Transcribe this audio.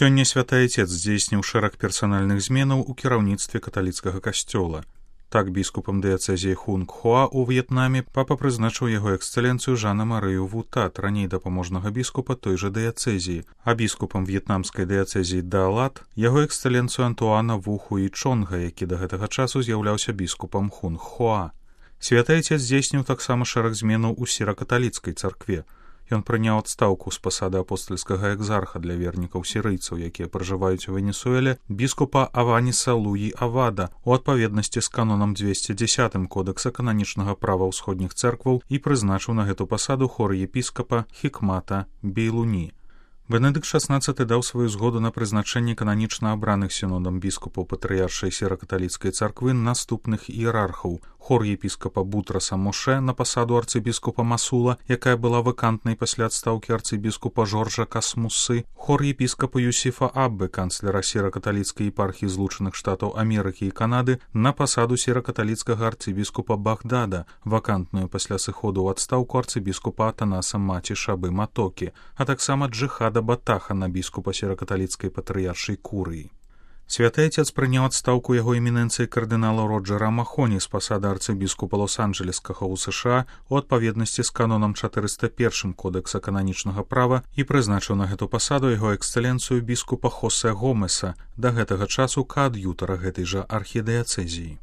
Сёння святы Айцец здзейсніў шэраг персанальных зменаў у кіраўніцтве каталіцкага касцёла. Так біскупам дыяцэзіі Хунг-Хуа ў В'етнаме папа прызначыў яго эксцэленцыю Жана Марыю Вутат, раней дапаможнага біскупа той жа дыяцэзіі, а біскупам в'етнамскай дыяцэзіі Даалат яго эксцэленцыю Антуана Ву Хуі Чонга, які да гэтага часу з'яўляўся біскупам Хунг-Хуа. Святы Айцец здзейсніў таксама шэраг зменаў у сіра-каталіцкай царкве. Ён прыняў адстаўку з пасады апостальскага экзарха для вернікаў сірыйцаў, якія пражываюць у Венесуэле, біскупа Аваніса Луі Авада у адпаведнасці з канонам 210 Кодекса кананічнага права ўсходніх цэркваў і прызначыў на гэту пасаду хор-епіскапа Хікмата Бейлуні. Бенедыкт XVI даў сваю згоду на прызначэнне кананічна абраных сінодам біскупаў патрыяршай сіра-каталіцкай царквы наступных іерархаў: хор-епіскапа Бутраса Моше на пасаду арцыбіскупа Масула, якая была вакантнай пасля адстаўкі арцыбіскупа Жоржа Касмусы, хор-епіскапа Юсіфа Аббы, канцлера сіра-каталіцкай епархіі Злучаных Штатаў Амерыкі і Канады, на пасаду сіра-каталіцкага арцыбіскупа Багдада, вакантную пасля сыходу ў адстаўку арцыбіскупа Атанаса Маці Шабы Матокі, а таксама Джихада Батаха на біскупа сіра-каталіцкай патрыяршай Курыі. Святы Айцец прыняў адстаўку яго эмінэнцыі кардынала Роджера Махоні з пасады арцыбіскупа Лос-Анджэлескага ў США у адпаведнасці з канонам 401 Кодекса кананічнага права і прызначыў на гэту пасаду яго эксцэленцыю біскупа Хосе Гомеса, да гэтага часу каад'ютара гэтай жа архідыяцэзіі.